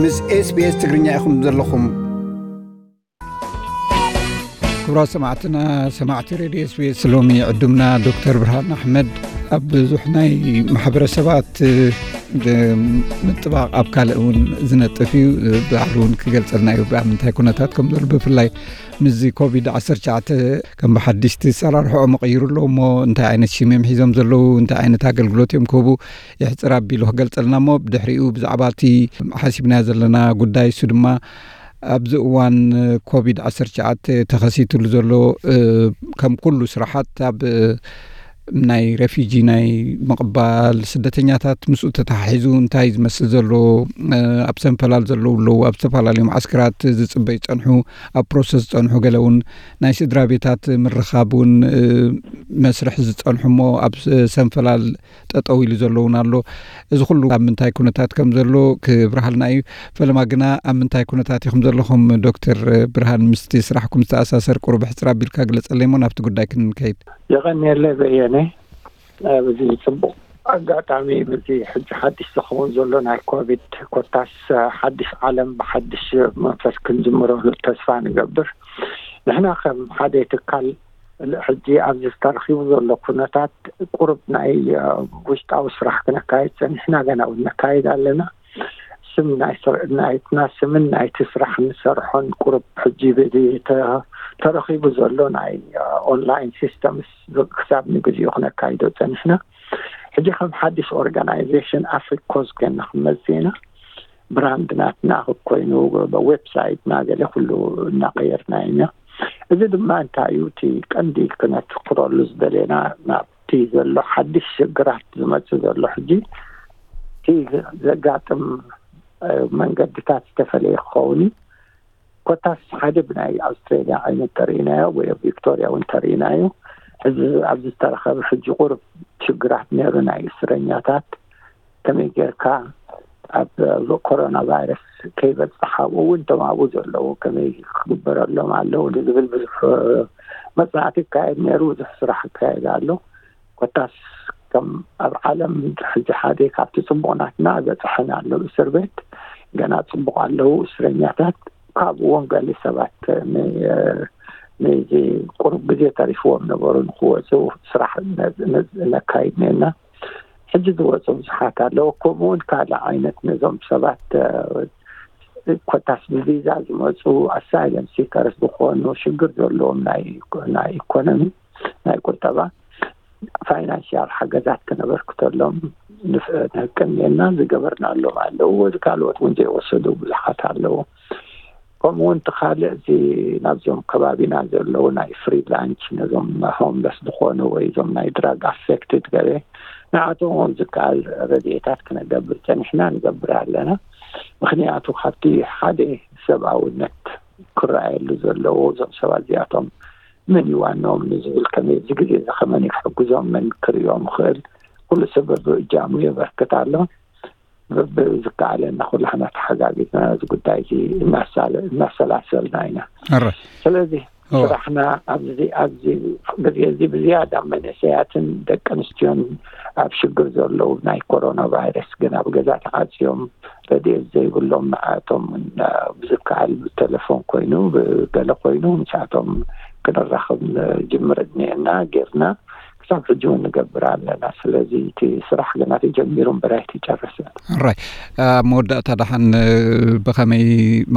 ምስ SBS ትግርኛ ኢኹም ዘለኹም። ክቡራት ሰማዕትና፣ ሰማዕቲ ሬድዮ SBS፣ ሎሚ ዕዱምና ዶክተር ብርሃን ኣሕመድ ኣብ ብዙሕ ናይ ማሕበረሰባት ምጥባቕ ኣብ ካልእ እውን ዝነጥፍ እዩ። ባዕሉ እውን ክገልጸልና እዩ፣ ብኣብ ምንታይ ኩነታት ከም ዘሎ፣ ብፍላይ ምስዚ ኮቪድ ዓሰርተ ትሽዓተ ከም ብሓድሽ እቲ ኣሰራርሕኦም ይቕይሩ ኣለዉ እሞ፣ እንታይ ዓይነት ሽም እዮም ሒዞም ዘለዉ፣ እንታይ ዓይነት ኣገልግሎት እዮም ክህቡ፣ ይሕጽር ኣቢሉ ክገልጸልና እሞ፣ ብድሕሪኡ ብዛዕባ እቲ ሓሲብናዮ ዘለና ጉዳይ፣ እሱ ድማ ኣብዚ እዋን ኮቪድ ዓሰርተ ትሽዓተ ተኸሲትሉ ዘሎ፣ እ፣ ከም ኩሉ ስራሓት ኣብ፣ እ፣ ናይ ሬፊጂ ናይ ምቕባል ስደተኛታት ምስኡ ተተሓሒዙ እንታይ ዝመስል ዘሎ፣ እ፣ ኣብ ሰንፈላል ዘለዉ ኣለዉ፣ ኣብ ዝተፈላለዩ መዓስከራት ዝጽበዩ ዝጸንሑ፣ ኣብ ፕሮሰስ ዝጸንሑ፣ ገለ እውን ናይ ስድራ ቤታት ምርኻብ እውን፣ እ፣ መስርሕ ዝጸንሑ እሞ ኣብ ሰንፈላል ጠጠው ኢሉ ዘሎ እውን ኣሎ። እዚ ኩሉ ኣብ ምንታይ ኩነታት ከም ዘሎ ክብርሃልና እዩ። ፈለማ ግና ኣብ ምንታይ ኩነታት ኢኹም ዘለኹም? ዶክተር ብርሃን፣ ምስቲ ስራሕኩም ዝተኣሳሰር ቁሩብ ሕጽር ኣቢልካ ግለጸለይ እሞ ናብቲ ጉዳይ ክንከይድ። የቐንየለይ በየነ። ኣብዚ ጽቡቕ ኣጋጣሚ፣ በዚ ሕጂ ሓድሽ ዝኸውን ዘሎ ናይ ኮቪድ ኮታስ ሓድሽ ዓለም ብሓድሽ መንፈስ ክንጅምረሉ ተስፋ ንገብር። ንሕና ከም ሓደ ትካል ሕጂ ኣብዚ ዝተረኺቡ ዘሎ ኩነታት ቁሩብ ናይ፣ እ፣ ውሽጣዊ ስራሕ ክነካይድ ጸኒሕና፣ ገና እውን ነካይድ ኣለና። ስም ናይ ስር-፣ ናይትና ስምን ናይቲ ስራሕ ንሰርሖን ቁሩብ ሕጂ ብዚ ተ-፣ ተረኺቡ ዘሎ ናይ፣ እ፣ ኦንላይን ሲስተምስ ክሳብ ንግዚኡ ክነካይዶ ጸኒሕና። ሕጂ ከም ሓድሽ ኦርጋናይዜሽን ኣፍሪክ ኮዝ ኮይና ክንመጽእ ኢና። ብራንድ ናትና ኮይኑ፣ ዌብሳይትና ገለ ኩሉ እናቀየርና ኢና። እዚ ድማ እንታይ እዩ እቲ ቀንዲ ክነትኩረሉ ዝደለና፣ ናብቲ ዘሎ ሓድሽ ሽግራት ዝመጽእ ዘሎ ሕጂ እቲ ዘጋጥም፣ እ፣ መንገድታት ዝተፈለየ ክኸውን እዩ። ኮታስ ሓደ ብናይ ኣውስትራሊያ ዓይነት ተርእናዮ ወይ ኣብ ቪክቶሪያ እውን ተርእናዮ። እዚ ኣብዚ ዝተረኸበ ሕጂ ቁሩብ ሽግራት ነይሩ፣ ናይ እስረኛታት ከመይ ጌርካ ኣብ ኮሮና ቫይረስ ከይበጽሕ፣ ኣብኡ እውን እቶም ኣብኡ ዘለዉ ከመይ ክግበረሎም ኣለዉ ንዝብል ብዙሕ መጽናዕቲ ይካየድ ነይሩ፣ ብዙሕ ስራሕ ይካየድ ኣሎ። ኮታስ ከም ኣብ ዓለም ሕጂ ሓደ ካብቲ ጽቡቕ ናትና በጽሐን ኣሎ እስር ቤት፣ ገና ጽቡቕ ኣለዉ እስረኛታት። ካብኡ እውን ገለ ሰባት ን-፣ ነዚ ቁሩብ ግዜ ተሪፍዎም ነበሩ ንክወጹ ስራሕ ነ-፣ ነ-፣ ነካይድ ነና። ሕጂ ዝወጹ ብዙሓት ኣለዉ። ከምኡ እውን ካልእ ዓይነት ነዞም ሰባት፣ እ፣ ኮታስ ብቪዛ ዝመጹ ኣሳይለም ሲከርስ ዝኾኑ ሽግር ዘለዎም ናይ፣ ናይ ኢኮኖሚ፣ ናይ ቁጠባ፣ ፋይናንሽያል ሓገዛት ክነበርክተሎም ንፍ-፣ ንህቅን ጌርና ዝገበርናሎም ኣለዉ። እዚ ካልኦት እውን ዘይወሰዱ ብዙሓት ኣለዉ። ከምኡ እውን እቲ ካልእ እዚ ናብዞም ከባቢና ዘለዉ ናይ ፍሪ ላንች፣ ነዞም ሆምለስ ዝኾኑ ወይ እዞም ናይ ድራግ ኣፌክትድ ገለ፣ ንዓቶም እውን ዝከኣል ረድኤታት ክነገብር ጸኒሕና፣ ንገብር ኣለና። ምኽንያቱ ካብቲ ሓደ ሰብኣውነት ክረኣየሉ ዘለዎ፣ እዞም ሰባት እዚኣቶም መን እዩ ዋናኦም ንዝብል፣ ከመይ እዚ ግዜ እዚ ከመን እዩ ክሕግዞም፣ መን ክርእዮም ይኽእል፣ ኩሉ ሰብ በብእጃሙ የበርክት ኣሎ። በብዝከኣለና ኩላህና ተሓጋጊዝና እዚ ጉዳይ እዚ እናሳለ-፣ እናሰላሰልና ኢና። ኣረ። ስለዚ እዋ። ስራሕና ኣብዚ፣ ኣብዚ ግዜ እዚ ብዝያዳ መንእሰያትን ደቂ ኣንስትዮን ኣብ ሽግር ዘለዉ፣ ናይ ኮሮና ቫይረስ ግን ኣብ ገዛ ተዓጽዮም ረድኤት ዘይብሎም፣ ንዓቶም ብዝከኣል ብቴሌፎን ኮይኑ ብገለ ኮይኑ ምስኣቶም ክንራኸብ ንጅምር እኒአና ጌርና። ክሳብ ሕጂ እውን ንገብር ኣለና። ስለዚ እቲ ስራሕ ገና ተጀሚሩ እምበር ኣይተጨረሰን። ኣራይ፣ ኣብ መወዳእታ ደሓን፣ እ፣ ብኸመይ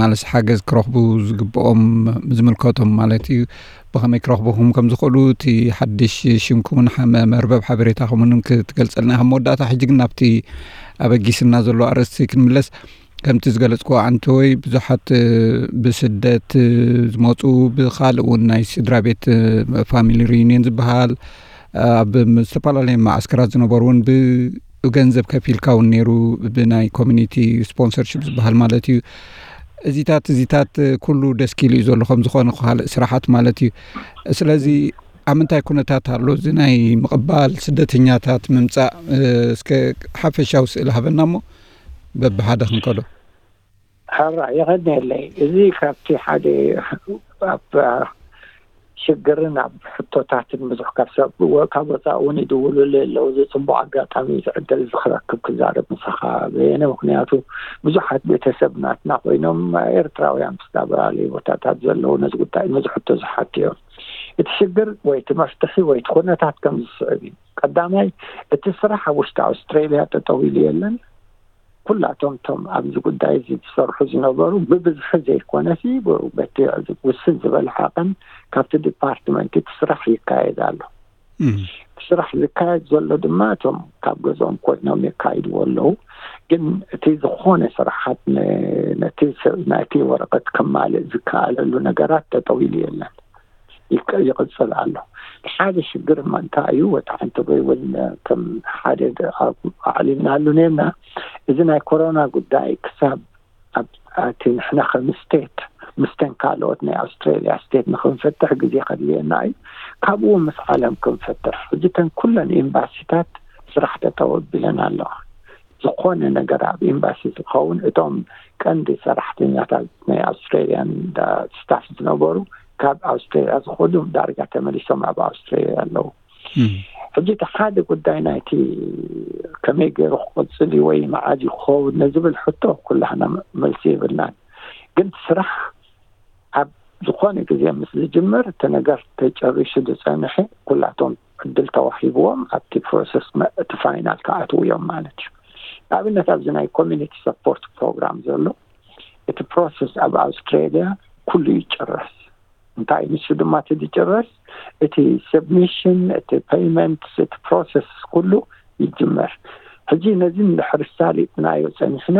ማለት ሓገዝ ክረኽቡ ዝግብኦም፣ ዝምልከቶም ማለት እዩ፣ ብኸመይ ክረኽቡኹም ከም ዝኽእሉ፣ እቲ ሓድሽ ሽምኩምን ሓ-፣ መ-፣ መርበብ ሓበሬታኹምን ክትገልጸልና ኢኻ። መወዳእታ ሕጂ ግን ናብቲ ኣበጊስና ዘሎ ኣርእስቲ ክንምለስ። ከምቲ ዝገለጽክዎ፣ ዓንተወይ፣ ብዙሓት፣ እ፣ ብስደት፣ እ፣ ዝመጹ፣ ብኻልእ እውን ናይ ስድራ ቤት፣ እ፣ ፋሚሊ ሪዩኒየን ዝበሃል፣ ኣብ ም-፣ ዝተፈላለዩ መዓስከራት ዝነበሩ እውን ብ-፣ ብገንዘብ ከፊልካ እውን ነይሩ፣ ብናይ ኮሚኒቲ ስፖንሰርሺፕ ዝበሃል ማለት እዩ። እዚታት፣ እዚታት፣ እ፣ ኩሉ ደስኪሉ እዩ ዘሎ፣ ከም ዝኾነ ካልእ ስራሓት ማለት እዩ። ስለዚ ኣብ ምንታይ ኩነታት ኣሎ እዚ ናይ ምቕባል ስደተኛታት ምምጻእ? እ፣ እስከ ሓፈሻዊ ስእሊ ሃበና እሞ በብሓደ ክንከዶ። ሕራ የቐንየለይ። እዚ ካብቲ ሓደ ኣብ ሽግርን ኣብ ሕቶታትን ብዙሕ ካብ ሰብ ወ- ካብ ወፃእ እውን ይድውሉሉ ኣለዉ። እዚ ፅቡቅ ኣጋጣሚ እዩ፣ እዚ ዕድል እዚ ክረክብ ክዛረብ ምሳኻ በየነ። ምክንያቱ ብዙሓት ቤተሰብ ናትና ኮይኖም ኤርትራውያን ብዝተፈላለዩ ቦታታት ዘለዉ ነዚ ጉዳይ ነዚ ሕቶ ዝሓቱ እዮም። እቲ ሽግር ወይ እቲ መፍትሒ ወይ እቲ ኩነታት ከም ዝስዕብ እዩ። ቀዳማይ፣ እቲ ስራሕ ኣብ ውሽጢ ኣውስትሬልያ ጠጠው ኢሉ የለን። ኩላቶም እቶም ኣብዚ ጉዳይ እዚ ዝሰርሑ ዝነበሩ ብብዝሒ ዘይኮነሲ ብ- በቲ ውስን ዝበለ ዓቐን ካብቲ ዲፓርትመንት እቲ ስራሕ ይካየድ ኣሎ። እቲ ስራሕ ዝካየድ ዘሎ ድማ እቶም ካብ ገዝኦም ኮይኖም የካይድዎ ኣለዉ። ግን እቲ ዝኾነ ስራሓት ነ- ነቲ ሰብ ናይቲ ወረቐት ከማልእ ዝከኣለሉ ነገራት ጠጠው ኢሉ የለን፣ ይቅ- ይቕፅል ኣሎ። ሓደ ሽግር እማ እንታይ እዩ? ወጣ ሓንቲ ወይ እውን ከም ሓደ ድ- ኣብ- ኣዕሊልናሉ ነርና። እዚ ናይ ኮሮና ጉዳይ ክሳብ ኣብ እቲ ንሕና ከም ስቴት ምስተን ካልኦት ናይ ኣውስትራሊያ ስቴት ንክንፈትሕ ግዜ ከድልየና እዩ። ካብኡ ምስ ዓለም ክንፈትሕ ሕጂ ተን ኩለን ኤምባሲታት ስራሕ ጠጠው ኣቢለን ኣለዋ። ዝኾነ ነገር ኣብ ኤምባሲ ዝኸውን እቶም ቀንዲ ሰራሕተኛታት ናይ ኣውስትራሊያን ስታፍ ዝነበሩ ካብ ኣውስትራሊያ ዝኸዱ ዳርጋ ተመሊሶም ኣብ ኣውስትራሊያ ኣለዉ። ሕጂ እቲ ሓደ ጉዳይ ናይቲ ከመይ ገይሩ ክቕፅል እዩ ወይ መዓዝ እዩ ክኸውን ንዝብል ሕቶ ኩላህና መልሲ የብልናን። ግን ስራሕ ኣብ ዝኾነ ግዜ ምስ ዝጅምር እቲ ነገር ተጨሪሱ ዝፀንሐ ኩላቶም ዕድል ተዋሂብዎም ኣብቲ ፕሮሰስ መ- እቲ ፋይናል ክኣትዉ እዮም ማለት እዩ። ንኣብነት ኣብዚ ናይ ኮሚኒቲ ሰፖርት ፕሮግራም ዘሎ እቲ ፕሮሰስ ኣብ ኣውስትራሊያ ኩሉ ይጭረስ። እንታይ ንሱ ድማ እቲ ዝጭረስ እቲ ሰብሚሽን እቲ ፔይመንት እቲ ፕሮሰስ ኩሉ ይጅመር። ሕጂ ነዚ እንድሕር ሳሊጥናዮ ፀኒሕና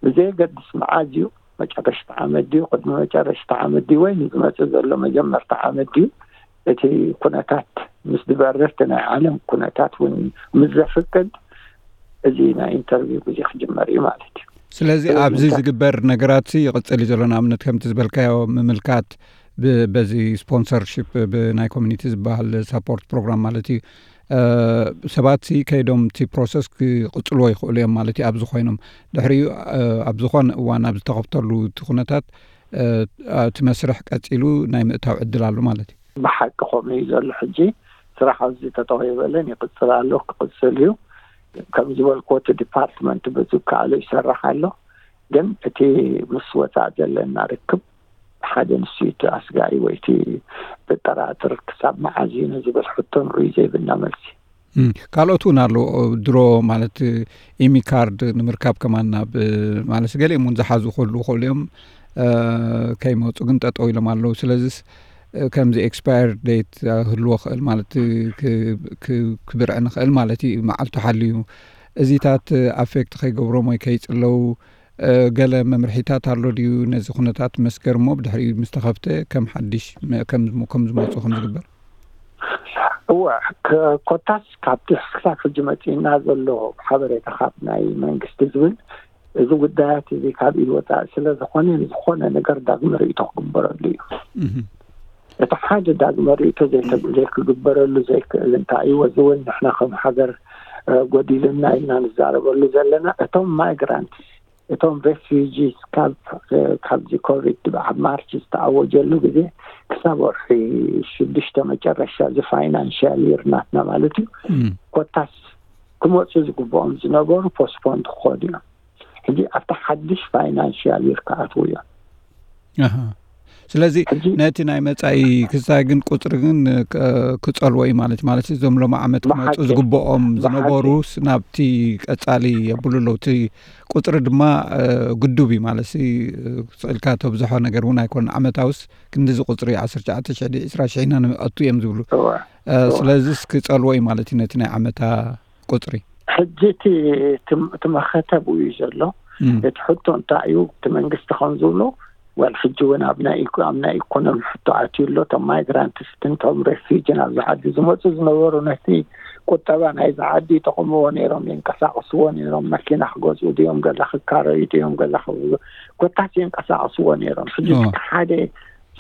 ብዘየገድስ መዓዝ እዩ መጨረሽታ ዓመት ድዩ ቅድሚ መጨረሽታ ዓመት ድዩ ወይ ንዝመፅእ ዘሎ መጀመርታ ዓመት ድዩ እቲ ኩነታት ምስ ዝበርር እቲ ናይ ዓለም ኩነታት እውን ምስ ዘፍቅድ እዚ ናይ ኢንተርቪው ግዜ ክጅመር እዩ ማለት እዩ። ስለዚ ስለዚ ኣብዚ እንታይ ዝግበር ነገራት ይቕፅል እዩ ዘሎ። ንኣብነት ከምቲ ዝበልካዮ ምምልካት ብ- በዚ ስፖንሰርሽፕ ብናይ ኮሚኒቲ ዝበሃል ሳፖርት ፕሮግራም ማለት እዩ። እ፣ ሰባት ሲ ከይዶም እቲ ፕሮሰስ ክቕፅልዎ ይኽእሉ እዮም ማለት እዩ። ኣብዚ ኮይኖም ድሕሪኡ እ፣ ኣብ ዝኾነ እዋን ኣብ ዝተኸፍተሉ እቲ ኩነታት እ፣ እቲ መስርሕ ቀፂሉ ናይ ምእታው ዕድል ኣሎ ማለት እዩ። ብሓቂ ከምኡ እዩ ዘሎ። ሕጂ ስራሕ ኣብዚ ተጠወይበለን ይቕፅል ኣሎ፣ ክቕፅል እዩ። ከም ዝበልክዎ እቲ ዲፓርትመንት በዚ ከኣሎ ይሰርሕ ኣሎ። ግን እቲ ምስ ወፃእ ዘለና ርክብ ሓደ ንሱ እዩ እቲ ኣስጋኢ ወይ እቲ ዘጠራጥር ክሳብ መዓዝ እዩ ንዝብል ሕቶ ንዑ ዘይብልና መልሲ። እም፣ ካልኦት እውን ኣለዉ። ድሮ ማለት ኢሚ ካርድ ንምርካብ ከማን ናብ ማለት ገሊኦም እውን ዝሓዙ ክህልዉ ይኽእሉ እዮም። እ፣ ከይመፁ ግን ጠጠው ኢሎም ኣለዉ። ስለዚስ እ፣ ከምዚ ኤክስፓየር ዴት ህልዎ ክእል ማለት ክ- ክ- ክብርዕ ንኽእል ማለት እዩ። መዓልቱ ሓልዩ እዚታት ኣፌክት ከይገብሮም ወይ ከይፅለው እ፣ ገለ መምርሒታት ኣሎ ድዩ? ነዚ ኩነታት መስገር እሞ ብድሕሪኡ ምስ ተኸፍተ ከም ሓድሽ መ- ከም ዝሞ- ከም ዝመፁ ከም ዝግበር። እወ፣ ክ- ኮታስ ካብቲ ክሳብ ሕጂ መፂእና ዘሎ ሓበሬታ ካብ ናይ መንግስቲ ዝብል እዚ ጉዳያት እዚ ካብ ኢድ ወፃኢ ስለ ዝኾነ ንዝኾነ ነገር ዳግመ ርእይቶ ክግበረሉ እዩ። እህ። እቲ ሓደ ዳግመ ርእይቶ ዘይተ- ዘይክግበረሉ ዘይክእል እንታይ እዩ? እዚ እውን ንሕና ከም ሃገር እ፣ ጎዲልና ኢልና ንዛረበሉ ዘለና እቶም ማይግራንት እቶም ሬፊጂስ ካብ እ፣ ካብዚ ኮቪድ ኣብ ማርች ዝተኣወጀሉ ግዜ ክሳብ ወርሒ ሽዱሽተ መጨረሻ እዚ ፋይናንሽያል ይር ናትና ማለት እዩ እም። ኮታስ ክመፁ ዝግብኦም ዝነበሩ ፖስፖን ክኾኑ እዮም። ሕጂ ኣብቲ ሓድሽ ፋይናንሽያል ይር ክኣትዉ እዮም። ኣሃ። ስለዚ ሕጂ ነቲ ናይ መጻኢ ክስታይ ግን ቁጽሪ ግን ክ- ክጸልዎ እዩ ማለት እዩ። ማለት እዞም ሎም ዓመት ክመጹ ብሓቂ ዝግብኦም ብሓቂ ዝነበሩስ ናብቲ ቀጻሊ የብሉ ኣለዉ። እቲ ቁጽሪ ድማ እ፣ ግዱብ እዩ ማለት እ፣ ስቕ ኢልካ ተብዝሖ ነገር እውን ኣይኮነን። ዓመታውስ ክንዲዚ ቁጽሪ ዓሰርተ ትሽዓተ ሽሕ ድዩ ዕስራ ሽሕ ኢና ንኣቱ እዮም ዝብሉ። እወ። እ፣ እወ። ስለዚስ ክጸልዎ እዩ ማለት እዩ ነቲ ናይ ዓመታ ቁጽሪ። ሕጂ እቲ እቲ እቲ መኸተ ብኡ እዩ ዘሎ። እም። እቲ ሕቶ እንታይ እዩ? እቲ መንግስቲ ከም ዝብሎ ወል ሕጂ እውን ኣብ ናይ ኢኮ- ኣብ ናይ ኢኮኖሚ ሕቶ ኣትዩ ኣሎ። እቶም ማይግራንትስ እቶም ሬፊጂ ናብዚ ዓዲ ዝመፁ ዝነበሩ ነቲ ቁጠባ ናይዚ ዓዲ ይጠቕምዎ ነይሮም፣ ይንቀሳቐስዎ ነይሮም። መኪና ክገዝኡ ድዮም፣ ገዛ ክካረዩ ድዮም፣ ገዛ ክብሉ ኮታስ ይንቀሳቐስዎ ነይሮም። ሕጂ ኦ። ሓደ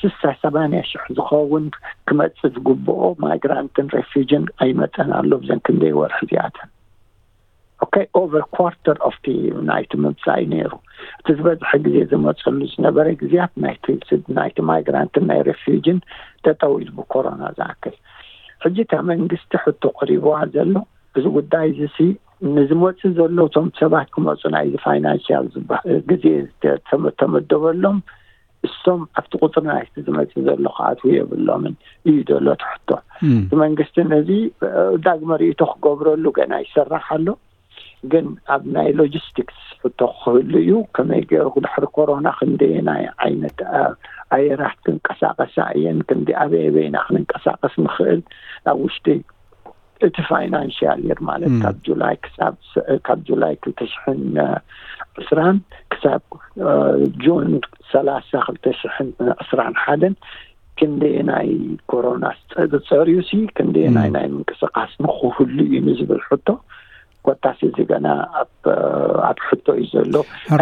ስሳ ሰማንያ ሽሕ ዝኸውን ክመፅእ ዝግብኦ ማይግራንትን ሬፊጅን ኣይመፀን ኣሎ ብዘን ክንደይ ወርሒ እዚኣተን። okay, over quarter of the ናይቲ ምምፃእ እዩ ነይሩ። እቲ ዝበዝሐ ግዜ ዝመፀሉ ዝነበረ ግዜያት ናይቲ ስድ ናይቲ ማይግራንትን ናይ ሬፊውጅን ጠጠው ኢሉ ብኮሮና ዝኣክል። ሕጂ እታ መንግስቲ ሕቶ ቀሪብዋ ዘሎ እዚ ጉዳይ እዚ ሲ ንዝመፁ ዘለዉ እቶም ሰባት ክመፁ ናይዚ ፋይናንሽያል ግዜ ተመደበሎም እሶም ኣብቲ ቁፅሪ ናይቲ ዝመፅእ ዘሎ ክኣትዉ የብሎምን እዩ ዘሎ እቲ ሕቶ። እቲ መንግስቲ ነዚ ዳግመ ርእይቶ ክገብረሉ ገና ይሰራሕ ኣሎ። ግን ኣብ ናይ ሎጂስቲክስ ሕቶ ክህሉ እዩ። ከመይ ገይሩ ድሕሪ ኮሮና ክንደየናይ ዓይነት ኣየራት ክንቀሳቀሳ እየን፣ ክንዲ ኣበይ ኣበይና ክንንቀሳቀስ ንኽእል ኣብ ውሽጢ እቲ ፋይናንሽያል የር ማለት ካብ ጁላይ ክሳብ ካብ ጁላይ ክልተ ሽሕን ዕስራን ክሳብ ጁን ሰላሳ ክልተ ሽሕን ዕስራን ሓደን ክንደየናይ ኮሮና ጸርዩ ሲ ክንደየናይ ናይ ምንቅስቃስ ንክህሉ እዩ ንዝብል ሕቶ ኮታስ እዚ ገና ኣብ ኣብ ሕቶ እዩ ዘሎ።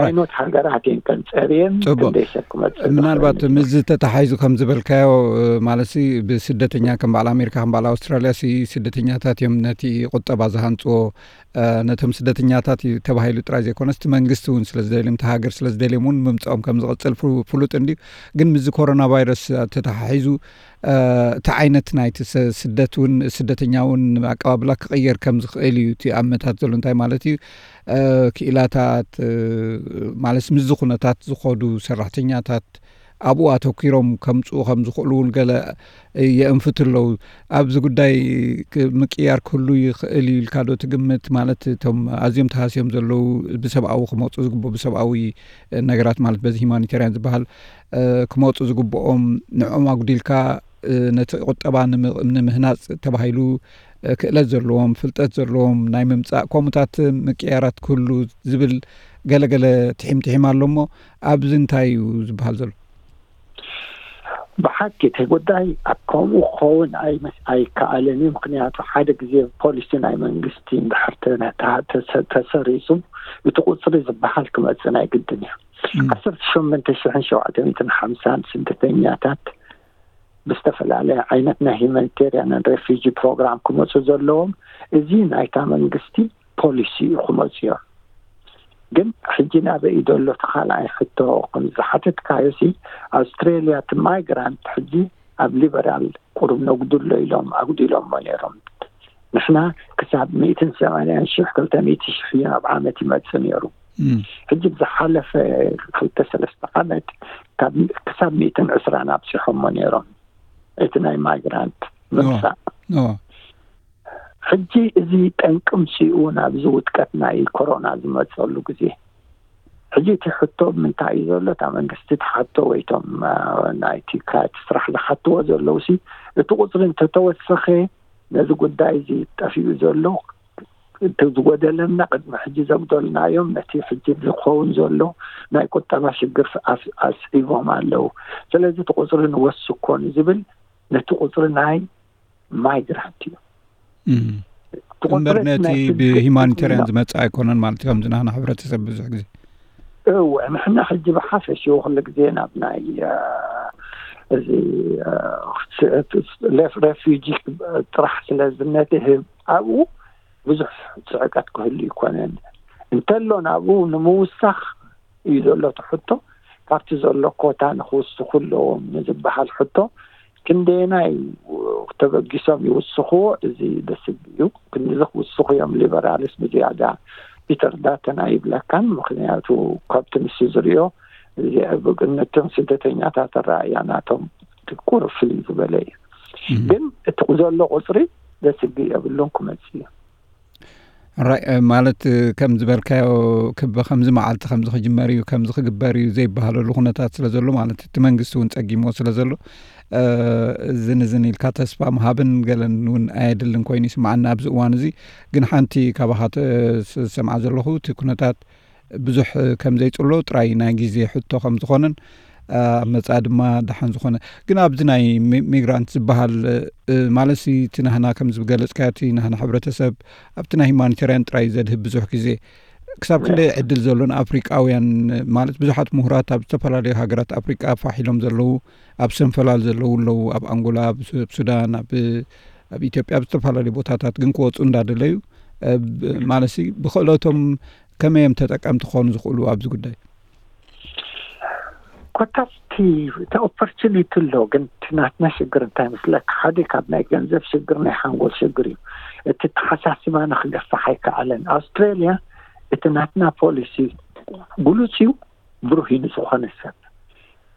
ኣይኖት ሃገራት እየን ከንጸርየን ክንደይ ሰብ ክመጽእ ምናልባት ምስ ተተሓይዙ ከም ዝበልካዮ ማለት ብስደተኛ ከም በዓል ኣሜሪካ ከም በዓል ኣውስትራልያ ስደተኛታት እዮም ነቲ ቁጠባ ዝሃንፅዎ። ነቶም ስደተኛታት እዩ ተባሂሉ ጥራይ ዘይኮነስ እቲ መንግስቲ እውን ስለ ዝደልዮም እቲ ሃገር ስለ ዝደልዮም እውን ምምፅኦም ከም ዝቐፅል ፍሉጥ እንድዩ። ግን ምስዚ ኮሮና ቫይረስ ተተሓሒዙ እቲ ዓይነት ናይቲ ስደት እውን ስደተኛ እውን ኣቀባብላ ክቕየር ከም ዝኽእል እዩ እቲ ኣመታት ዘሎ። እንታይ ማለት እዩ? ክኢላታት ማለት ምስዚ ኩነታት ዝኸዱ ሰራሕተኛታት ኣብኡ ኣተኪሮም ከምፅኡ ከም ዝኽእሉ እውን ገለ የእንፍቱ ኣለዉ። ኣብዚ ጉዳይ ምቅያር ክህሉ ይኽእል እዩ ኢልካ ዶ ትግምት? ማለት እቶም ኣዝዮም ተሃስዮም ዘለዉ ብሰብኣዊ ክመፁ ዝግብኡ ብሰብኣዊ ነገራት ማለት በዚ ሂማኒቴርያን ዝበሃል ክመፁ ዝግብኦም ንዕኦም ኣጉዲልካ ነቲ ቁጠባ ንምህናፅ ተባሂሉ ክእለት ዘለዎም ፍልጠት ዘለዎም ናይ ምምፃእ ከምኡታት ምቅያራት ክህሉ ዝብል ገለገለ ትሒም ትሒም ኣሎ እሞ ኣብዚ እንታይ እዩ ዝበሃል ዘሎ? ብሓቂ እቲ ጉዳይ ኣብ ከምኡ ክኸውን ኣይከኣልን እዩ። ምክንያቱ ሓደ ግዜ ፖሊሲ ናይ መንግስቲ እንድሕር ተሰሪፁ እቲ ቁፅሪ ዝበሃል ክመፅእ ናይ ግድን እዩ። ዓሰርተ ሸሞንተ ሽሕን ሸውዓተ ሚእትን ሓምሳን ስደተኛታት ብዝተፈላለየ ዓይነት ናይ ሂማኒቴርያን ሬፊጂ ፕሮግራም ክመፁ ዘለዎም እዚ ናይታ መንግስቲ ፖሊሲ እዩ ክመፅዮ። ግን ሕጂ ናበይ እዩ ዘሎ እቲ ካልኣይ ሕቶ? ከም ዝሓተትካዮ ሲ ኣውስትሬልያ እቲ ማይግራንት ሕጂ ኣብ ሊበራል ቁሩብ ነጉድሎ ኢሎም ኣጉዲሎሞ ነይሮም። ንሕና ክሳብ ሚእትን ሰማንያን ሽሕ ክልተ ሚእቲ ሽሕ እዩ ናብ ዓመት ይመፅእ ነይሩ። ሕጂ ብዝሓለፈ ክልተ ሰለስተ ዓመት ክሳብ ሚእትን ዕስራን ኣብፂሖሞ ነይሮም እቲ ናይ ማይግራንት ምምፃእ። ሕጂ እዚ ጠንቂ ምፅኡ ናብዚ ውድቀት ናይ ኮሮና ዝመፀሉ ግዜ ሕጂ እቲ ሕቶ ምንታይ እዩ ዘሎ? እታ መንግስቲ ትሓቶ ወይ እቶም ናይቲ ካቲ ስራሕ ዝሓትዎ ዘለዉ ሲ እቲ ቁፅሪ እንተተወሰኸ ነዚ ጉዳይ እዚ ጠፊኡ ዘሎ እቲ ዝጎደለና ቅድሚ ሕጂ ዘጉደልናዮም ነቲ ሕጂ ዝኸውን ዘሎ ናይ ቁጠባ ሽግር ኣስዒቦም ኣለዉ። ስለዚ እቲ ቁፅሪ ንወስኮ ንዝብል ነቲ ቁፅሪ ናይ ማይግራንት እዩ። እምበር ነቲ ብሂማኒቴርያን ዝመፅእ ኣይኮነን ማለት እዩ። ከምዚ ናህና ሕብረተሰብ ብዙሕ ግዜ እወ ንሕና ሕጂ ብሓፈሽኡ ኩሉ ግዜ ናብ ናይ እዚ ሬፊጂ ጥራሕ ስለ ዝነትህብ ኣብኡ ብዙሕ ፅዕቀት ክህሉ ይኮነን እንተሎ ናብኡ ንምውሳኽ እዩ ዘሎ እቲ ሕቶ። ካብቲ ዘሎ ኮታ ንክውስኹ ኣለዎም ንዝበሃል ሕቶ ክንደየናይ ተበጊሶም ይውስኽዎ? እዚ ደስ እዩ። ክንዚ ክውስኹ እዮም ሊበራልስ ብዝያዳ ፒተር ዳተን ኣይብለካን። ምክንያቱ ካብቲ ንሱ ዝሪኦ ነቶም ስደተኛታት ኣረኣያ ናቶም ቁሩብ ፍልይ ዝበለ እዩ። ግን እቲ ዘሎ ቁፅሪ ዘስግእ የብሉን ክመፅእ እዩ። ራይ ማለት ከም ዝበልካዮ ክበ ከምዚ መዓልቲ ከምዚ ክጅመር እዩ ከምዚ ክግበር እዩ ዘይበሃለሉ ኩነታት ስለ ዘሎ ማለት እቲ መንግስቲ እውን ጸጊምዎ ስለ ዘሎ እዝን እዝን ኢልካ ተስፋ ምሃብን ገለን እውን ኣየድልን ኮይኑ ይስማዓና ኣብዚ እዋን እዚ። ግን ሓንቲ ካባኻ ዝሰምዓ ዘለኹ እቲ ኩነታት ብዙሕ ከም ዘይጽሎ ጥራይ ናይ ግዜ ሕቶ ከም ዝኾነን ኣብ መጻኢ ድማ ደሓን ዝኾነ ግን ኣብዚ ናይ ሚግራንት ዝበሃል ማለት እቲ ናህና ከም ዝገለጽካዮ እቲ ናህና ሕብረተሰብ ኣብቲ ናይ ሂማኒቴርያን ጥራይ ዘድህብ ብዙሕ ግዜ ክሳብ ክንደይ ዕድል ዘሎ ንኣፍሪቃውያን ማለት ብዙሓት ምሁራት ኣብ ዝተፈላለዩ ሃገራት ኣፍሪቃ ፋሕ ኢሎም ዘለዉ ኣብ ሰንፈላል ዘለዉ ኣለዉ ኣብ ኣንጎላ ኣብ ሱዳን ኣብ ኢትዮጵያ ኣብ ዝተፈላለዩ ቦታታት ግን ክወፁ እንዳደለዩ ማለት ብክእለቶም ከመይ እዮም ተጠቀምቲ ክኾኑ ዝኽእሉ ኣብዚ ጉዳይ? ኮታስ እቲ እቲ ኦፖርቹኒቲ ኣሎ፣ ግን እቲ ናትና ሽግር እንታይ መስለካ? ሓደ ካብ ናይ ገንዘብ ሽግር፣ ናይ ሓንጎል ሽግር እዩ። እቲ ተሓሳስባና ክገፋሕ ኣይከኣለን። ኣውስትራሊያ እቲ ናትና ፖሊሲ ግሉጽ እዩ፣ ብሩህ እዩ ንዝኾነ ሰብ።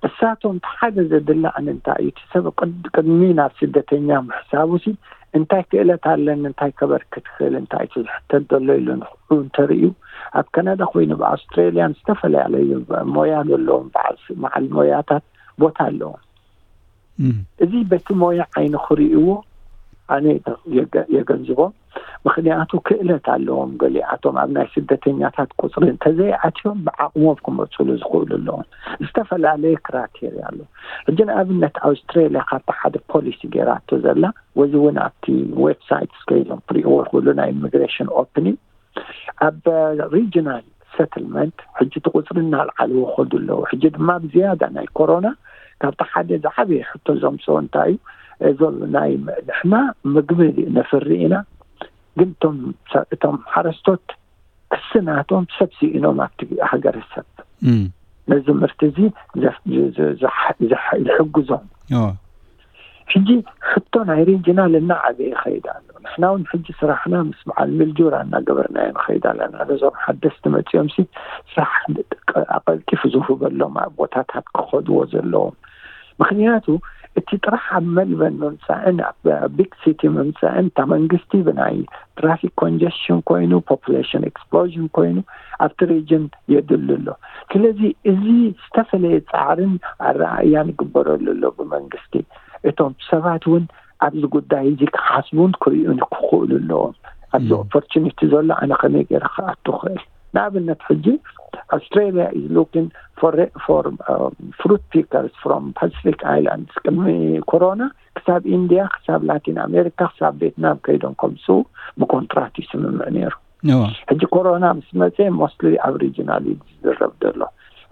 እሳቶም እቲ ሓደ ዘድሊ ኣነ እንታይ እዩ፣ እቲ ሰብ ቅድ- ቅድሚ ናብ ስደተኛ ምሕሳቡ ሲ እንታይ ክእለት ኣለኒ፣ እንታይ ከበርክት ክእል፣ እንታይ እቲ ዝሕተት ዘሎ ኢሉ ንክእሉ እንተርእዩ፣ ኣብ ካናዳ ኮይኑ ብኣውስትራሊያን ዝተፈላለዩ ሞያ ዘለዎም በዓል ስ- በዓል ሞያታት ቦታ ኣለዎም። እዚ በቲ ሞያ ዓይኒ ክርእይዎ ኣነ የገ- የገንዝቦም። ምክንያቱ ክእለት ኣለዎም። ገሊኣቶም ኣብ ናይ ስደተኛታት ቁፅሪ እንተዘይኣትዮም ብዓቕሞም ክመፅሉ ዝኽእሉ ኣለዎም። ዝተፈላለየ ክራቴርያ ኣሎ። ሕጂ ንኣብነት ኣውስትራሊያ ካብቲ ሓደ ፖሊሲ ገይራቶ ዘላ፣ ወዚ እውን ኣብቲ ዌብሳይት ስከይዞም ክርእይዎ ይኽእሉ፣ ናይ ኢሚግሬሽን ኦፕኒንግ ኣብ ሪጅናል ሰትልመንት ሕጂ እቲ ቁፅሪ እናልዓልዎ ከዱ ኣለዉ። ሕጂ ድማ ብዝያዳ ናይ ኮሮና ካብቲ ሓደ ዝዓበየ ሕቶ ዘምፅኦ እንታይ እዩ? እዞም ናይ ንሕና ምግቢ ነፍሪ ኢና፣ ግን እቶም እቶም ሓረስቶት ክሲ ናቶም ሰብ ስኢኖም ኣብቲ ሃገረሰብ ነዚ ምህርቲ እዚ ዝሕግዞም። ሕጂ ሕቶ ናይ ሪጅናል እናዓበየ ይኸይድ ኣሎ። ንሕና እውን ሕጂ ስራሕና ምስ በዓል ሚልጁራ እናገበርናዮ ንኸይድ ኣለና። ነዞም ሓደስቲ መፂኦም ሲ ስራሕ ኣቐልጢፉ ዝህበሎም ቦታታት ክኸድዎ ዘለዎም። ምክንያቱ እቲ ጥራሕ ኣብ መልበን ምምፃእን ኣብ ቢግ ሲቲ ምምፃእን እታ መንግስቲ ብናይ ትራፊክ ኮንጀሽን ኮይኑ፣ ፖፑሌሽን ኤክስፕሎዥን ኮይኑ ኣብቲ ሪጅን የድሉ ኣሎ። ስለዚ እዚ ዝተፈለየ ፃዕርን ኣረኣእያን ይግበረሉ ኣሎ ብመንግስቲ። እቶም ሰባት እውን ኣብዚ ጉዳይ እዚ ክሓስቡን ክርእዩን ክኽእሉ ኣለዎም። ኣብዚ ኦፖርቹኒቲ ዘሎ ኣነ ከመይ ገይረ ክኣቱ ክእል? ንኣብነት ሕጂ Australia is looking for for fruit pickers from Pacific Islands። ቅድሚ ኮሮና ክሳብ ኢንድያ፣ ክሳብ ላቲን ኣሜሪካ፣ ክሳብ ቬትናም ከይዶም ከምፅኡ ብኮንትራት ይስምምዕ ነይሩ። ሕጂ ኮሮና ምስ መፀ ሞስትሊ ኣብ ሪጅናል እዩ ዝዝረብ ዘሎ፣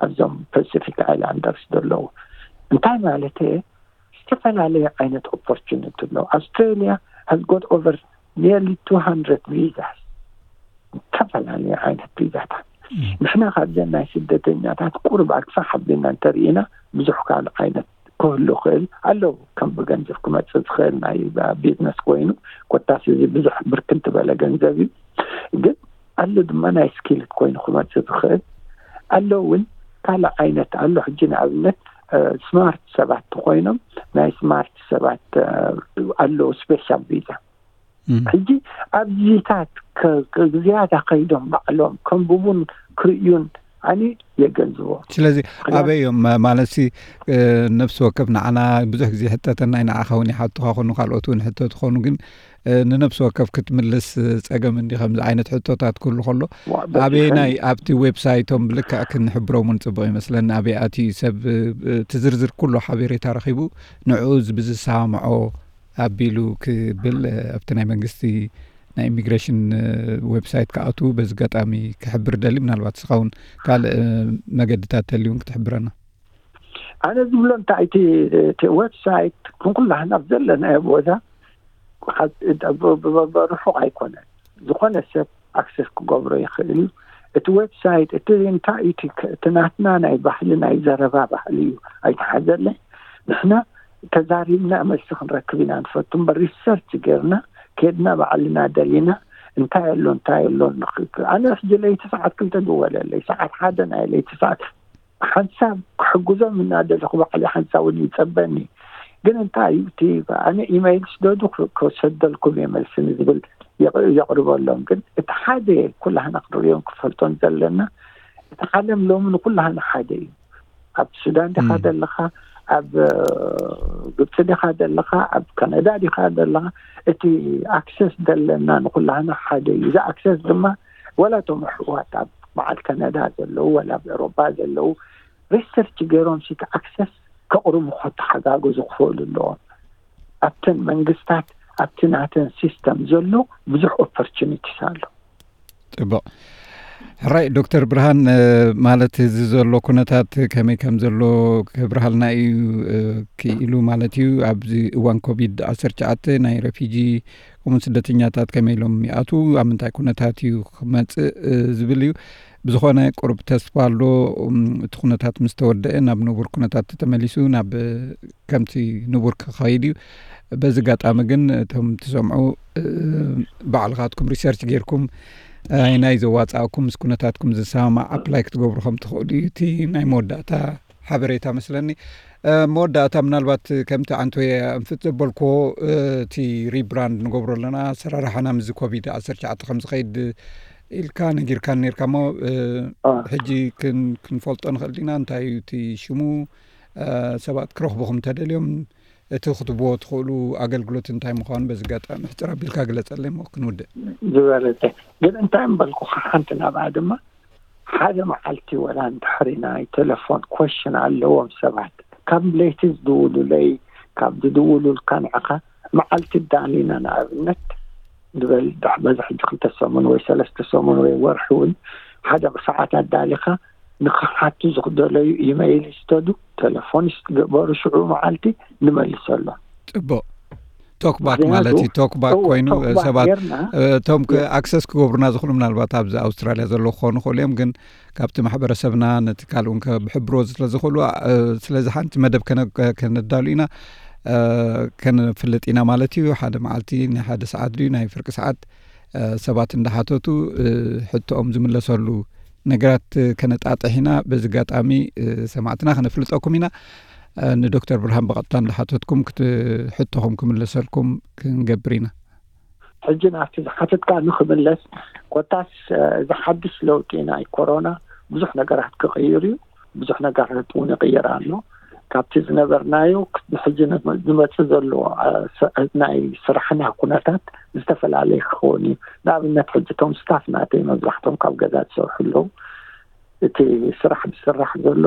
ኣብዞም ፓሲፊክ ኣይላንደርስ ዘለዉ። እንታይ ማለት እየ? ዝተፈላለየ ዓይነት ኦፖርቹኒቲ ኣሎ። ኣውስትራሊያ has got over nearly two hundred visas፣ ዝተፈላለየ ዓይነት ቪዛታት። ንሕና ካብዘን ናይ ስደተኛታት ቁርብ ኣግፋሕ ኣቢልና እንተርኢና ብዙሕ ካልእ ዓይነት ክህሉ ክእል ኣለዉ። ከም ብገንዘብ ክመፅእ ዝኽእል ናይ ቢዝነስ ኮይኑ፣ ኮታስ እዚ ብዙሕ ብርክን ዝበለ ገንዘብ እዩ። ግን ኣሎ ድማ ናይ ስኪልድ ኮይኑ ክመፅእ ዝኽእል ኣሎ። እውን ካልእ ዓይነት ኣሎ። ሕጂ ንኣብነት ስማርት ሰባት ተኮይኖም ናይ ስማርት ሰባት ኣለዉ ስፔሻል ቪዛ። ሕጂ ኣብዚታት ዝያዳ ከይዶም ባዕሎም ከንብቡን ክርእዩን ኣነ የገንዝቦ። ስለዚ ኣበይ እዮም ማለት ሲ ነፍሲ ወከፍ ንዓና ብዙሕ ግዜ ሕተተና ንዓኻ እውን ይሓቱኻ ኮኑ ካልኦት እውን ሕተቱ ኮኑ ግን ንነፍሲ ወከፍ ክትምልስ ጸገም እንዲ ከምዚ ዓይነት ሕቶታት ክህሉ ከሎ ኣበየናይ ኣብቲ ዌብሳይቶም ብልክዕ ክንሕብሮም እውን ጽቡቕ ይመስለኒ። ኣበይ ኣትዩ ሰብ እቲ ዝርዝር ኩሉ ሓቤሬታ ረኺቡ ንዕኡ ብዝሰማምዖ ኣቢሉ ክብል ኣብቲ ናይ መንግስቲ ናይ ኢሚግሬሽን ዌብሳይት ክኣትዉ በዚ ኣጋጣሚ ክሕብር ደሊ። ምናልባት ንስኻ እውን ካልእ መገድታት ተልዩ እውን ክትሕብረና። ኣነ ዝብሎ እንታይ እቲ ዌብሳይት ክንኩላህና ኣብ ዘለናዮ ቦታ ርሑቕ ኣይኮነን። ዝኾነ ሰብ ኣክሰስ ክገብሮ ይኽእል እዩ። እቲ ዌብሳይት እቲ እንታይ እቲ ናትና ናይ ባህሊ ናይ ዘረባ ባህሊ እዩ ኣይተሓዘለይ። ንሕና ተዛሪብና መልሲ ክንረክብ ኢና ንፈቱ እምበር ሪሰርች ጌርና ኬድና ባዕልና ደሊና እንታይ ኣሎ እንታይ ኣሎ ኣነ ሕጂ ለይቲ ሰዓት ክልተ ድወለለይ ሰዓት ሓደ ናይ ለይቲ ሰዓት ሓንሳብ ክሕግዞም እናደለኹ ባዕሊ ሓንሳብ እውን ይጸበኒ። ግን እንታይ እዩ እቲ ኣነ ኢመይል ስደዱ ክሰደልኩም እየ መልሲ ንዝብል የቕርበሎም። ግን እቲ ሓደ ኩላህና ክንሪኦን ክፈልጦን ዘለና እቲ ዓለም ሎሚ ንኩላህና ሓደ እዩ። ኣብ ሱዳን ዲኻ ዘለኻ፣ ኣብ ግብፂ ዲኻ ዘለኻ፣ ኣብ ካናዳ ዲኻ ዘለኻ፣ እቲ ኣክሰስ ዘለና ንኩላህና ሓደ እዩ። እዚ ኣክሰስ ድማ ወላ እቶም ኣሕዋት ኣብ በዓል ካናዳ ዘለዉ ወላ ኣብ ኤሮጳ ዘለዉ ሪሰርች ገይሮም ሲቲ ኣክሰስ ከቕርቡ ከተሓጋገዙ ክኽእሉ ኣለዎም። ኣብተን መንግስታት ኣብቲ ናተን ሲስተም ዘሎ ብዙሕ ኦፖርቹኒቲስ ኣሎ። ጽቡቕ። ሕራይ ዶክተር ብርሃን፣ ማለት እዚ ዘሎ ኩነታት ከመይ ከም ዘሎ ክብርሃልና እዩ ክኢሉ ማለት እዩ። ኣብዚ እዋን ኮቪድ ዓሰርተ ትሽዓተ ናይ ረፊጂ ከምኡውን ስደተኛታት ከመይ ኢሎም ይኣትዉ፣ ኣብ ምንታይ ኩነታት እዩ ክመጽእ፣ እ፣ ዝብል እዩ። ብዝኾነ ቁሩብ ተስፋ ኣሎ። እም፣ እቲ ኩነታት ምስ ተወደአ ናብ ንቡር ኩነታት ተመሊሱ ናብ፣ እ፣ ከምቲ ንቡር ክኸይድ እዩ። በዚ ኣጋጣሚ ግን እቶም ትሰምዑ፣ እ፣ ባዕልኻትኩም ሪሰርች ጌርኩም፣ እ፣ ኣየናይ ዘዋጽኣኩም ምስ ኩነታትኩም ዝሰማማዕ ኣፕላይ ክትገብሩ ከም ትኽእሉ እዩ እቲ ናይ መወዳእታ ሓበሬታ መስለኒ። እ፣ መወዳእታ ምናልባት ከምቲ ዓንቶየ ኣንፍት ዘበልክዎ፣ እ፣ እቲ ሪብራንድ ንገብሮ ኣለና፣ ኣሰራርሓና ምስዚ ኮቪድ ዓሰርተ ትሽዓተ ከም ዝኸይድ ኢልካ ነጊርካ ነርካ እሞ፣ እ፣ አ። ሕጂ ክን-፣ ክንፈልጦ ንኽእል ዲና? እንታይ እዩ እቲ ሽሙ? እ፣ ሰባት ክረኽቡኹም እንተደልዮም እቲ ክትብዎ ትኽእሉ ኣገልግሎት እንታይ ምዃኑ በዚ ኣጋጣሚ ሕጽር ኣቢልካ ግለጸለይ እሞ ክንውድእ። ዝበለጸ። ግን እንታይ እምበልኩኻ ሓንቲ ናብኣ ድማ ሓደ መዓልቲ ወላ እንድሕሪ ናይ ቴሌፎን ኮሽን ኣለዎም ሰባት። ካብ ለይቲ ዝድውሉለይ፣ ካብ ዝድውሉልካ ንዕኻ መዓልቲ ዳኒና ንኣብነት ዝበል ዳሕ-፣ በዚ ሕጂ ክልተ ሰሙን ወይ ሰለስተ ሰሙን ወይ ወርሒ እውን ሓደ ሰዓት ኣዳሊኻ ንኽሓቱ ዝኽደለዩ ኢመይል ይስደዱ፣ ቴሌፎን ይስገበሩ፣ ሽዑ መዓልቲ ንመልሰሎም። ጽቡቕ። ቶክባክ ምኽንያቱ ማለት እዩ። ቶክባክ እወ፣ ኮይኑ፣ ቶክባክ ሰባት፣ ጌርና እ፣ እቶም ክ-፣ የ- ኣክሰስ ክገብሩና ዝኽእሉ ምናልባት ኣብዚ ኣውስትራልያ ዘለዉ ክኾኑ ይኽእሉ እዮም፣ ግን ካብቲ ማሕበረሰብና ነቲ ካልእ እውን ከብሕብሮ ስለ ዝኽእሉ፣ እ፣ ስለዚ ሓንቲ መደብ ከነ-፣ ከነዳሉ ኢና፣ እ፣ ከነፍልጥ ኢና ማለት እዩ። ሓደ መዓልቲ ናይ ሓደ ሰዓት ድዩ ናይ ፍርቂ ሰዓት፣ እ፣ ሰባት እንዳሓተቱ፣ እ፣ ሕቶኦም ዝምለሰሉ ነገራት ከነጣጥሕ ኢና። በዚ ኣጋጣሚ፣ እ፣ ሰማዕትና ከነፍልጠኩም ኢና። እ፣ ንዶክተር ብርሃን ብቐጥታ እንዳሓተትኩም ክት-፣ ሕቶኹም ክምለሰልኩም ክንገብር ኢና። ሕጂ ናብቲ ዝሓተትካ ንኽምለስ፣ ኮታስ፣ እ፣ እዚ ሓድሽ ለውጢ ናይ ኮሮና ብዙሕ ነገራት ክቕይር እዩ። ብዙሕ ነገራት እውን ይቕየር ኣሎ። ካብቲ ዝነበርናዮ ክ-፣ ንሕጂ ንመ-፣ ዝመጽእ ዘሎ፣ እ፣ ስ-፣ ናይ ስራሕና ኩነታት ዝተፈላለየ ክኸውን እዩ። ንኣብነት፣ ሕጂ እቶም ስታፍ ናተይ መብዛሕቶም ካብ ገዛ ዝሰርሑ ኣለዉ። እቲ ስራሕ ዝስራሕ ዘሎ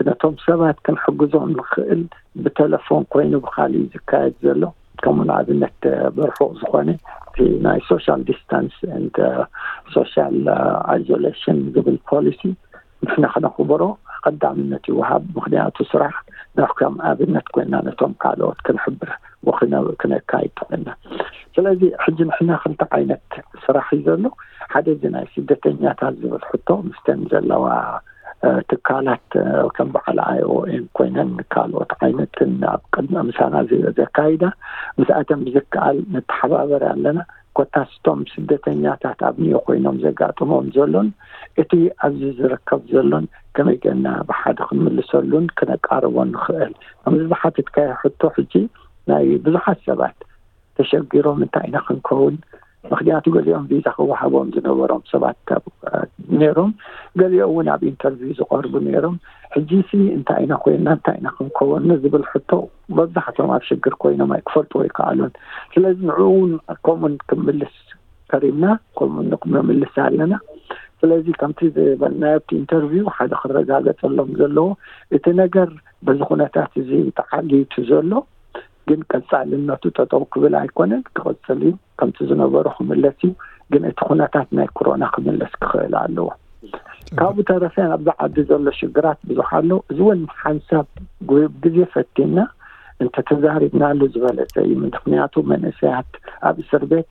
ነቶም ሰባት ክንሕግዞም ንኽእል ብቴሌፎን ኮይኑ ብኻሊእ ዝካየድ ዘሎ፣ ከምኡ ንኣብነት ብርሑቕ ዝኾነ እቲ ናይ ሶሻል ዲስታንስ ኤንድ ሶሻል ኣይዞሌሽን ዝብል ፖሊሲ ንሕና ክነኽብሮ ቀዳምነት ይወሃብ። ምኽንያቱ ስራሕ ናብ ከም ኣብነት ኮይና ነቶም ካልኦት ክንሕብር ወክነ-፣ ክነካይድ ኮይና። ስለዚ ሕጂ ንሕና ክልተ ዓይነት ስራሕ እዩ ዘሎ። ሓደ እዚ ናይ ስደተኛታት ዝብል ሕቶ ምስተን ዘለዋ፣ እ፣ ትካላት፣ እ፣ ከም በዓል ኣይ ኦ ኤም ኮይነን ካልኦት ዓይነትን ኣብ ቅድሚ ምሳና ዘ-፣ ዘካይዳ ምስኣተን ብዝከኣል ንተሓባበር ኣለና። ኮታስ እቶም ስደተኛታት ኣብ ኒዮ ኮይኖም ዘጋጥሞም ዘሎን እቲ ኣብዚ ዝርከብ ዘሎን ከመይ ጌርና ብሓደ ክንምልሰሉን ክነቃርቦን ንኽእል? ከምዚ ዝሓተትካዮ ሕቶ ሕጂ ናይ ብዙሓት ሰባት ተሸጊሮም እንታይ ኢና ክንከውን? ምኽንያቱ ገሊኦም ቪዛ ክወሃቦም ዝነበሮም ሰባት ካብ፣ እ፣ ነይሮም፣ ገሊኦም እውን ኣብ ኢንተርቪው ዝቐርቡ ነይሮም። ሕጂ ሲ እንታይ ኢና ኮይንና፣ እንታይ ኢና ክንከውን ንዝብል ሕቶ መብዛሕትኦም ኣብ ሽግር ኮይኖም ኣይክፈልጡ ኣይከኣሉን። ስለዚ ንዕኡ እውን ከምኡን ክምልስ ከሪምና፣ ከምኡ ን-፣ ንምልስ ኣለና። ስለዚ ከምቲ ዝበልናዮ ኣብቲ ኢንተርቪው ሓደ ክረጋገጸሎም ዘለዎ እቲ ነገር በዚ ኩነታት እዚ ተዓልዩ እቲ ዘሎ ግን ቀጻልነቱ ጠጠው ክብል ኣይኮነን፣ ክቕጽል እዩ። ከምቲ ዝነበሮ ክምለስ እዩ። ግን እቲ ኩነታት ናይ ኮሮና ክምለስ ክኽእል ኣለዎ። ካብኡ ተረፈ ኣብዚ ዓዲ ዘሎ ሽግራት ብዙሕ ኣሎ። እዚ እውን ሓንሳብ ግ-፣ ግዜ ፈቲና እንተተዛሪብናሉ ዝበለጸ እዩ። ምኽንያቱ መንእሰያት ኣብ እስር ቤት፣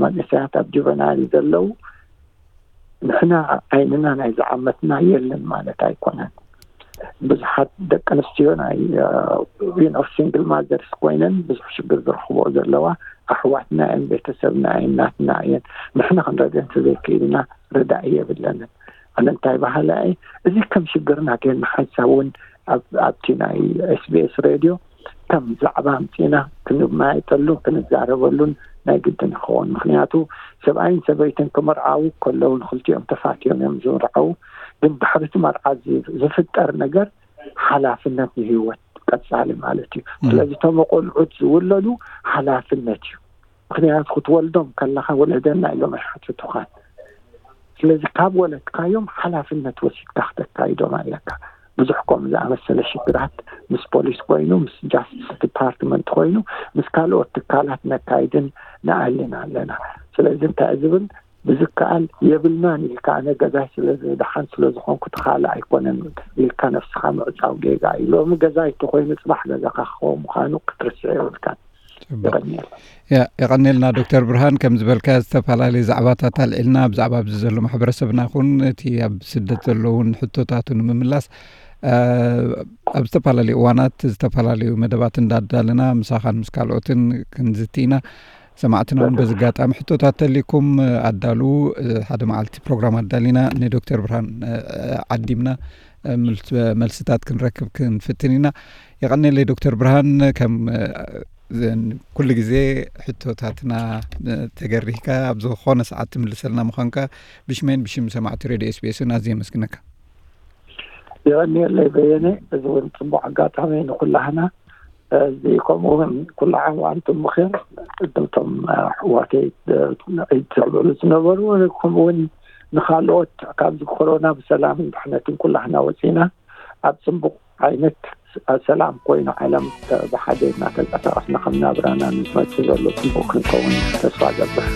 መንእሰያት ኣብ ጁቨናይል ዘለዉ ንሕና ዓይንና ናይ ዝዓመትና የለን ማለት ኣይኮነን። ብዙሓት ደቂ ኣንስትዮ ናይ፣ እ፣ you know፣ ሲንግል ማዘርስ ኮይነን ብዙሕ ሽግር ዝረኽብኦ ዘለዋ ኣሕዋትና እየን፣ ቤተሰብና እየን፣ ናትና እየን። ንሕና ክንረድአን እንተዘይክኢልና ርዳኢ የብለንን። ኣነ እንታይ በሃላይ፣ እዚ ከም ሽግርና ጌርና ሓንሳብ እውን ኣብ-፣ ኣብቲ ናይ ኤስ ቢ ኤስ ሬድዮ ከም ዛዕባ ኣምጺእና ክንመያየጠሉን ክንዛረበሉን ናይ ግድን ይኸውን። ምኽንያቱ ሰብኣይን ሰበይትን ክምርዓዉ ከለዉ ንኽልቲኦም ተፋትዮም እዮም ዝምርዓዉ። ግን ድሕሪ እቲ መርዓ ዝ-፣ ዝፍጠር ነገር ሓላፍነት ንህይወት ቀጻሊ ማለት እዩ። እም። ስለዚ እቶም ቆልዑት ዝውለዱ ሓላፍነት እዩ። ምኽንያቱ ክትወልዶም ከለኻ ውለደና ኢሎም ኣይሓትቱኻን። ስለዚ ካብ ወለድካዮም ሓላፍነት ወሲድካ ክተካይዶም ኣለካ። ብዙሕ ከምኡ ዝኣመሰለ ሽግራት ምስ ፖሊስ ኮይኑ፣ ምስ ጃስቲስ ዲፓርትመንት ኮይኑ፣ ምስ ካልኦት ትካላት ነካይድን ንኣልን ኣለና። ስለዚ እንታይ ዝብል ብዝከኣል የብልናን ኢልካ፣ ኣነ ገዛይ ስለ ዝደሓን ስለ ዝኾንኩ እቲ ካልእ ኣይኮነን ኢልካ ነፍስኻ ምዕጻው ጌጋ እዩ። ሎሚ ገዛይ እንተኾይኑ ጽባሕ ገዛኻ ክኸውን ምዃኑ ክትርስዕ የብልካን። የቐንየልና ዶክተር ብርሃን። ከም ዝበልካ ዝተፈላለዩ ዛዕባታት ኣልዒልና፣ ብዛዕባ ኣብዚ ዘሎ ማሕበረሰብና ኹን እቲ ኣብ ስደት ዘለውን ሕቶታቱ ንምምላስ ኣብ ዝተፈላለዩ እዋናት ዝተፈላለዩ መደባት እንዳዳለና ምሳኻን ምስ ካልኦትን ክንዝቲ ኢና። ሰማዕትና እውን በዚ ኣጋጣሚ ሕቶታት ተሊኩም ኣዳልዉ። ሓደ መዓልቲ ፕሮግራም ኣዳሊና ንዶክተር ብርሃን ዓዲምና መልስታት ክንረክብ ክንፍትን ኢና። የቐኔለይ ዶክተር ብርሃን፣ ከም ኩሉ ግዜ ሕቶታትና ተገሪህካ ኣብ ዝኾነ ሰዓት ትምልሰልና ምዃንካ ብሽመይን ብሽም ሰማዕቲ ሬድዮ ኤስቢኤስን ኣዝየ የመስግነካ። የቐንየለይ በየነ። እዚ እውን ፅቡቅ ኣጋጣሚ ንኩላህና፣ እዚ ከምኡ እውን ኩላዓም ኣንቱም ብኸር እቶም ኣሕዋተይ ዒድ ተብዕሉ ዝነበሩ፣ ከምኡ እውን ንካልኦት ካብዚ ኮሮና ብሰላምን ድሕነትን ኩላህና ወፂና ኣብ ፅቡቅ ዓይነት ሰላም ኮይኑ ዓለም ብሓደ እናተንቀሳቀስና ከም ናብራና ንመፅእ ዘሎ ፅቡቅ ክንከውን ተስፋ ገብር።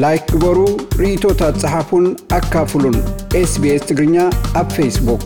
ላይክ ግበሩ፣ ርእይቶታት ጸሓፉን ኣካፍሉን። ኤስቢኤስ ትግርኛ ኣብ ፌስቡክ።